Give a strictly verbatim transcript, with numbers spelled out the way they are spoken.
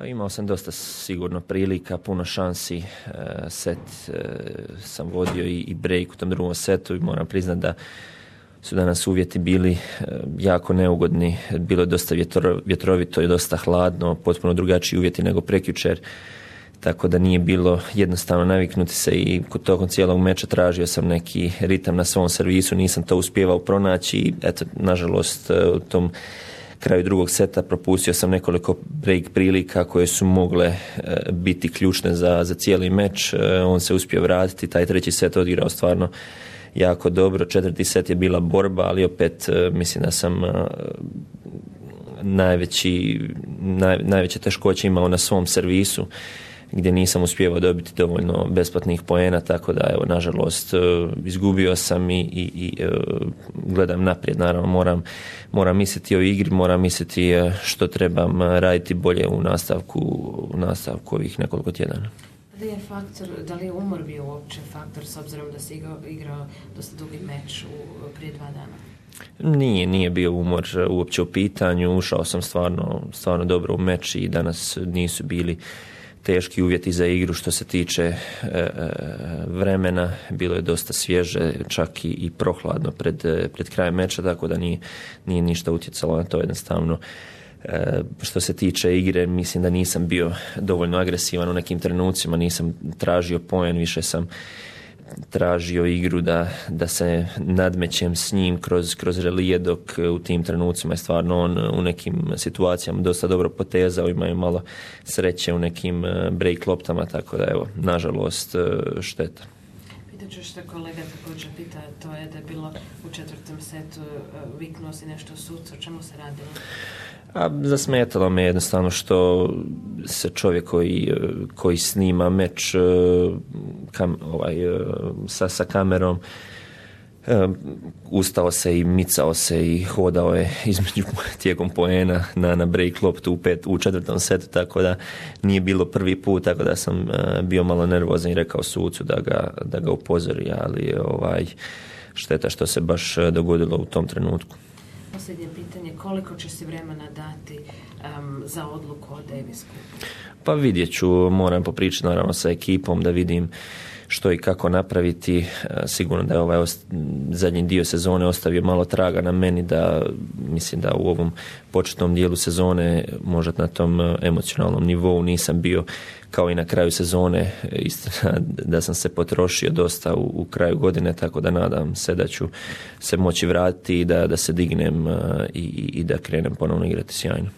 Imao sam dosta sigurno prilika, puno šansi, set sam vodio i break u tom drugom setu i moram priznati da su danas uvjeti bili jako neugodni, bilo je dosta vjetrovito i dosta hladno, potpuno drugačiji uvjeti nego prekjučer, tako da nije bilo jednostavno naviknuti se i tokom cijelog meča tražio sam neki ritam na svom servisu, nisam to uspijevao pronaći i eto, nažalost u tom kraju drugog seta propustio sam nekoliko break prilika koje su mogle e, biti ključne za, za cijeli meč. E, on se uspio vratiti, taj treći set odigrao stvarno jako dobro. Četvrti set je bila borba, ali opet e, mislim da sam e, najveći, naj, najveće teškoće imao na svom servisu, gdje nisam uspijevao dobiti dovoljno besplatnih poena, tako da evo, nažalost, izgubio sam i, i, i gledam naprijed. Naravno, moram, moram misliti o igri, moram misliti što trebam raditi bolje u nastavku, u nastavku ovih nekoliko tjedana. Da li je faktor, da li je umor bio uopće faktor, s obzirom da si igrao, igrao dosta dugi meč u, prije dva dana? Nije, nije bio umor uopće u pitanju, ušao sam stvarno, stvarno dobro u meč i danas nisu bili teški uvjeti za igru što se tiče e, e, vremena, bilo je dosta svježe, čak i, i prohladno pred, pred krajem meča, tako da nije, nije ništa utjecalo na to jednostavno. E, što se tiče igre, mislim da nisam bio dovoljno agresivan u nekim trenucima, nisam tražio poen, više sam tražio igru da, da se nadmećem s njim kroz, kroz relije, dok u tim trenucima je stvarno on u nekim situacijama dosta dobro potezao, imaju malo sreće u nekim break loptama, tako da evo, nažalost, šteta. Pitat ću što kolega također pita, to je da je bilo u četvrtom setu, viknuo si nešto sucu, o čemu se radilo? A zasmetalo me jednostavno što se čovjek koji, koji snima meč kam, ovaj, sa, sa kamerom ustao se i micao se i hodao je između tijekom poena na, na break loptu u, pet, u četvrtom setu, tako da nije bilo prvi put, tako da sam bio malo nervozan i rekao sucu da ga, da ga upozori, ali ovaj, šteta što se baš dogodilo u tom trenutku. Posljednje pitanje, koliko će si vremena dati um, za odluku o Davis Cupu? Pa vidjet ću, moram popričati naravno sa ekipom da vidim što i kako napraviti. Sigurno da je ovaj ost- zadnji dio sezone ostavio malo traga na meni, da mislim da u ovom početnom dijelu sezone, možda na tom emocionalnom nivou nisam bio kao i na kraju sezone, istina da sam se potrošio dosta u, u kraju godine, tako da nadam se da ću se moći vratiti i da, da se dignem i, i da krenem ponovno igrati sjajno.